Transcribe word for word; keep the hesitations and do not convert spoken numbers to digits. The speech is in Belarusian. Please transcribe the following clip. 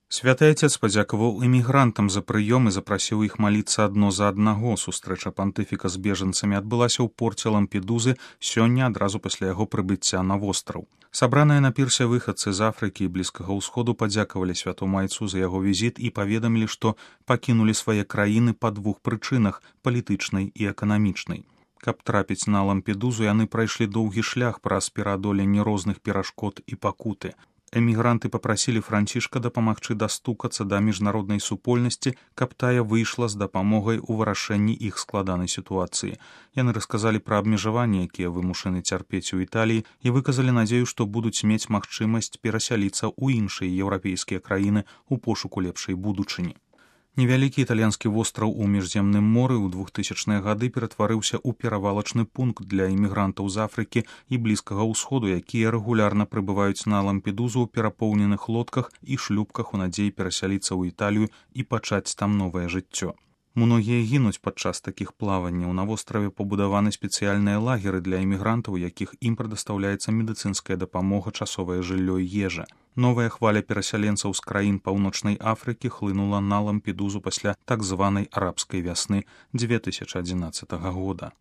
Святы Отец падзякаваў эмігрантам за прыём і запрасіў іх маліцца адно за аднаго. Сустрэча пантыфіка з бежанцамі адбылася ў порце Лампедузы сёння адразу пасля яго прыбыцця на востраў. Сабраныя на пірсе выхадцы з Афрыкі і Блізкага ўсходу падзякавалі святому айцу за яго візіт і паведамілі, што пакінулі свае краіны па двух прычынах – палітычнай і эканамічнай. Каб трапіць на Лампедузу, яны прайшлі доўгі шлях праз пераадоленне розных перашкод і пакуты. Эмігранты папрасілі Францішка дапамагчы дастукацца да міжнароднай супольнасці, каб тая выйшла з дапамогай у вырашэнні іх складанай сітуацыі. Яны расказалі пра абмежаванні, якія вымушаны цярпець у Італіі, і выказалі надзею, што будуць мець магчымасць перасяліцца ў іншыя еўрапейскія краіны ў пошуку лепшай будучыні. Невялікі італьянскі востраў у міжземным моры ў двухтысячныя гады ператварыўся ў перавалачны пункт для імігрантаў з Афрыкі і Блізкага ўсходу, якія рэгулярна прыбываюць на Лампедузу ў перапоўненых лодках і шлюпках у надзеі перасяліцца ў Італію і пачаць там новае жыццё. Многія гінуць падчас такіх плаванняў. На востраве пабудаваны спецыяльныя лагеры для імігрантаў, якіх ім прадастаўляецца медыцынская дапамога, часовае жыллё і ежа. Новая хваля перасяленцаў з краін Паўночнай Афрыкі хлынула на Лампедузу пасля так званай арабскай вясны две тысячы адзінаццатага года.